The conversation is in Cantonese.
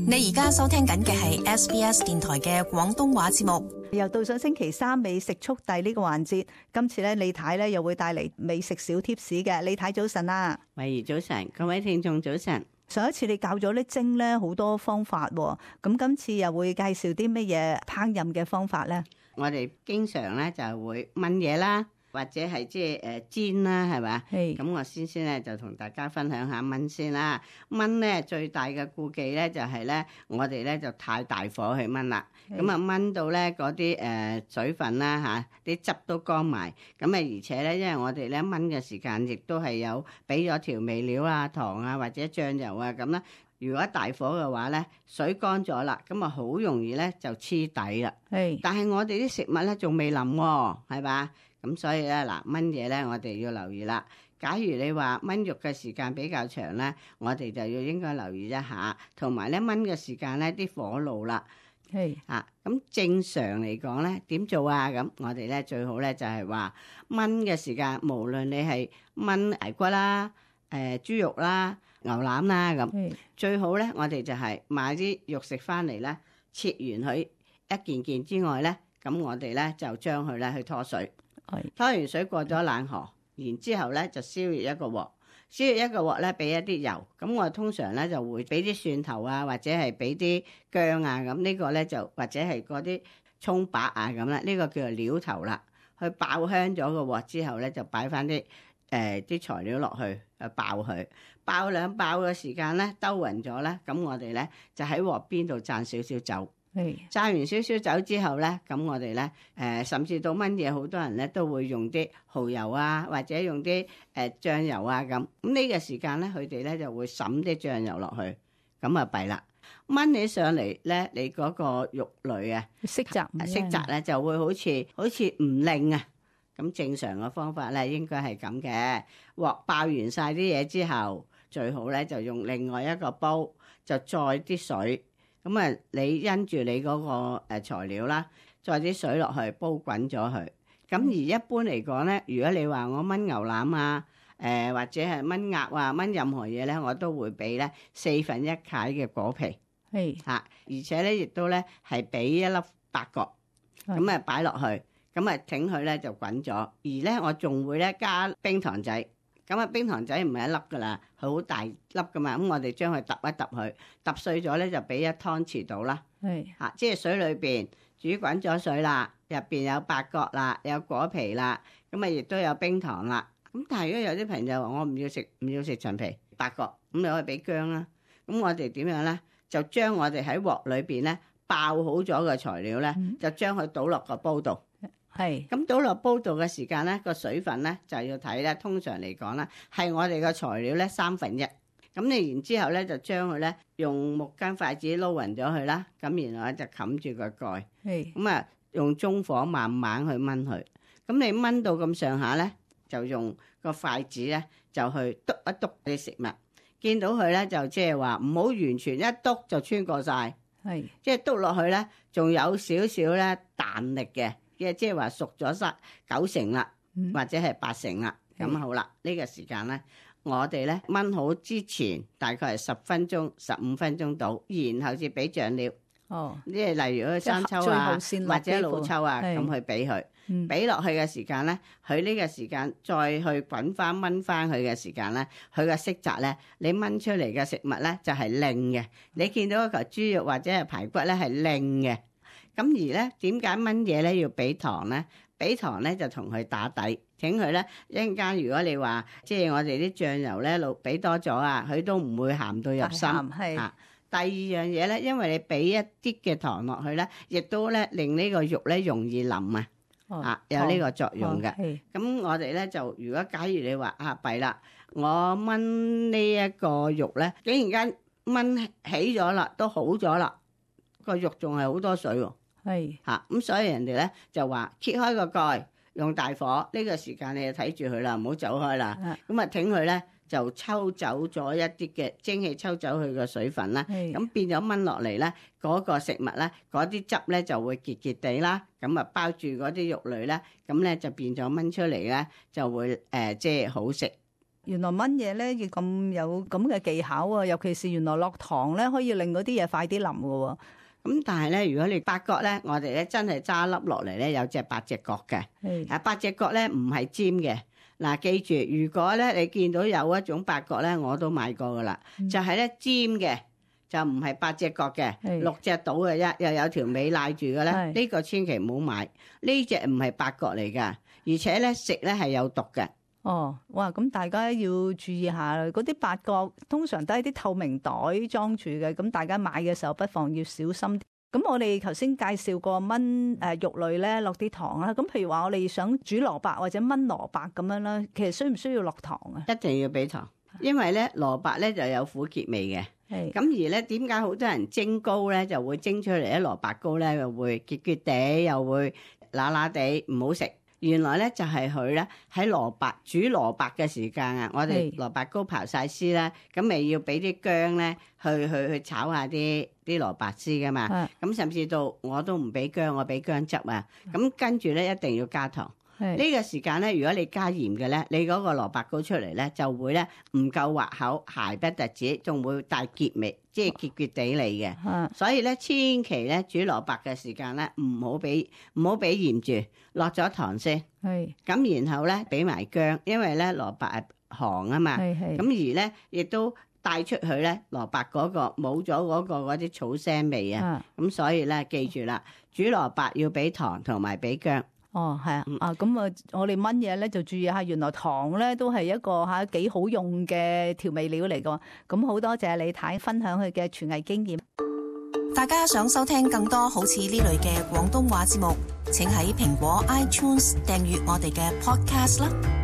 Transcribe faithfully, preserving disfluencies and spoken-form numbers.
你而家收聽緊嘅係 S B S 電台嘅廣東話節目。又到咗星期三美食速遞呢個環節，今次咧李太咧又會帶嚟美食小貼士嘅。李太早晨啊，慧怡早晨，各位聽眾早晨。上一次你教咗啲蒸咧好多方法，咁今次又會介紹啲乜嘢烹炆嘅方法咧？我哋經常咧就會燜嘢啦，或者係即係誒煎啦，係咪？係。咁我先先咧就同大家分享下燜先啦。燜咧最大嘅顧忌咧就係咧，我哋咧就太大火去燜啦。咁啊燜到咧嗰啲誒水分啦嚇，啲汁都乾埋。咁啊而且咧，因為我哋咧燜嘅時間亦都係有俾咗調味料啊、糖啊或者醬油啊咁啦。如果大火嘅話咧，水乾咗啦，咁啊好容易咧就黐底啦。係。但係我哋啲食物咧仲未腍喎，係嘛？咁所以咧嗱，燜嘢咧我哋要留意啦。假如你話燜肉嘅時間比較長咧，我哋就要應該留意一下，同埋咧燜嘅時間咧啲火爐啦。係啊，咁正常嚟講咧點做啊？咁我哋咧最好咧就係話燜嘅時間，無論你係燜排骨啦、誒、呃、豬肉啦、牛腩啦咁，最好咧我哋就係買啲肉食翻嚟咧，切完佢一件件之外咧，咁我哋咧就將佢咧去拖水。拖完水過咗冷河，然之後咧就燒熱一個鑊，燒熱一個鑊咧俾一啲油，咁我通常咧就會俾啲蒜頭啊，或者係俾啲薑啊，咁呢個咧就或者係嗰啲葱白啊咁啦，呢個叫做料頭啦。去爆香咗個鑊之後咧，就擺翻啲誒啲材料落去，去爆佢，爆兩爆嘅時間咧兜勻咗咧，咁我哋咧就喺鑊邊度灒少少酒。炸完少少酒之後咧，咁我哋咧誒，甚至到燜嘢，好多人咧都會用啲蠔油啊，或者用啲誒醬油啊咁。咁呢個時間咧，佢哋咧就會滲啲醬油落去，咁啊弊啦。燜起上嚟咧，你嗰個肉類啊，色澤色澤咧就會好似好似唔靚啊。咁正常嘅方法咧，應該係咁嘅。鑊爆完晒啲嘢之後，最好咧就用另外一個煲，就載啲水。咁啊，你因住你嗰個誒材料啦，再啲水落去煲滾咗佢。咁而一般嚟講咧，如果你話我燜牛腩啊，誒、呃、或者係燜鴨啊，燜任何嘢咧，我都會俾咧四分一塊嘅果皮，係嚇、啊，而且咧亦都咧係俾一粒八角，咁啊擺落去，咁啊整佢咧就滾咗。而咧我仲會咧加冰糖仔。咁啊，冰糖仔唔係一粒噶啦，佢好大粒噶嘛。咁我哋將佢揼一揼佢，揼碎咗咧就俾一湯匙到啦。係嚇、啊，即係水裏邊煮滾咗水啦，入邊有八角啦，有果皮啦，咁啊亦都有冰糖啦。咁但係如果有啲朋友話我唔要食唔要食陳皮八角，咁你可以俾薑啦。咁我哋點樣咧？就將我哋喺鑊裏邊咧爆好咗嘅材料咧，嗯、就將佢倒落個煲度。係，咁倒落煲度嘅時間咧，個水分咧就要睇咧。通常嚟講咧，係我哋個材料咧三分一。咁你然之後咧就將佢咧用木羹筷子撈勻咗佢啦。咁然後咧就冚住個蓋。係，咁啊用中火慢慢去燜佢。咁你燜到咁上下咧，就用個筷子咧就去篤一篤啲食物。見到佢咧就即係話唔好完全一篤就穿過晒。係，即係篤落去咧，仲有少少咧彈力嘅。嘅即係話熟咗晒九成啦，或者係八成啦，咁、嗯、好啦。呢、這個時間咧，我哋咧燜好之前大概係十分鐘、十五分鐘到，然後至俾醬料。哦，即係例如嗰生抽啊，或者老抽啊，咁去俾佢。俾落去嘅時間咧，佢呢個時間再去滾翻燜翻佢嘅時間咧，佢嘅色澤咧，你燜出嚟嘅食物咧就係靚嘅。你見到一嚿豬肉或者係排骨咧係靚嘅。咁而咧，點解燜嘢咧要俾糖咧？俾糖咧就同佢打底，請佢咧一陣間。如果你話即係我哋啲醬油咧，老俾多咗啊，佢都唔會鹹到入心。係啊，第二樣嘢咧，因為你俾一啲嘅糖落去咧，亦都咧令呢個肉咧容易腍啊。哦、啊，有呢個作用嘅。咁我哋咧就如果假如你話啊弊啦，我燜呢一個肉咧，竟然間燜起咗啦，都好咗啦，個肉仲係好多水喎。係嚇，咁所以人哋咧就話揭開個蓋，用大火呢個時間你就睇住佢啦，唔好走開啦。咁啊，挺佢咧就抽走咗一啲嘅蒸汽，抽走佢嘅水分啦。咁變咗燜落嚟咧，嗰個食物咧，嗰啲汁咧就會結結地啦。咁啊包住嗰啲肉類咧，咁咧就變咗燜出嚟咧就會誒即係好食。原來炆嘢咧要咁有咁嘅技巧啊，尤其是原來落糖咧可以令嗰啲嘢快啲腍㗎。咁但係咧，如果你八角咧，我哋咧真係揸粒落嚟咧，有隻八隻角嘅。啊，八隻角咧唔係尖嘅。嗱，記住，如果咧你見到有一種八角咧，我都買過噶啦，嗯、就係咧尖嘅，就唔係八隻角嘅，六隻到嘅啫，又有條尾賴住嘅咧，呢個千祈唔好買。呢隻唔係八角嚟噶，而且咧食咧係有毒嘅。哦，哇！咁大家要注意下啦，嗰啲八角通常都係啲透明袋裝住嘅，咁大家買嘅時候不妨要小心。咁我哋頭先介紹過炆誒肉類咧落啲糖啦，咁譬如話我哋想煮蘿蔔或者炆蘿蔔咁樣啦，其實需唔需要落糖啊？一定要俾糖，因為咧蘿蔔咧就有苦澀味嘅。係咁而咧，點解好多人蒸糕咧就會蒸出嚟咧蘿蔔糕咧又會結結地，又會乸乸地，唔好食。原來咧就係佢咧喺蘿蔔煮蘿蔔嘅時間啊，我哋蘿蔔糕刨晒絲啦，咁咪要俾啲薑咧去去去炒下啲啲蘿蔔絲噶嘛，咁甚至到我都唔俾薑，我俾薑汁啊，咁跟住咧一定要加糖。呢個時間咧，如果你加鹽嘅咧，你嗰個蘿蔔糕出嚟咧就會咧唔夠滑口，鞋不特止，仲會帶結味，即係結結地嚟嘅。嗯、所以咧，千祈咧煮蘿蔔嘅時間咧，唔好俾唔好俾鹽住，落咗糖先。係咁是，然後咧俾埋薑，因為咧蘿蔔係寒啊嘛。係係。咁而咧亦都帶出去咧蘿蔔嗰個冇咗嗰個嗰啲草腥味啊。咁、嗯、所以咧記住啦，煮蘿蔔要俾糖同埋俾薑。哦，係啊，啊咁啊，我哋炆嘢咧就注意下，原來糖咧都係一個嚇幾好用嘅調味料嚟㗎。咁好多謝李太分享佢嘅廚藝經驗。大家想收聽更多好似呢類嘅廣東話節目，請喺蘋果 iTunes 訂閱我哋嘅 Podcast 啦。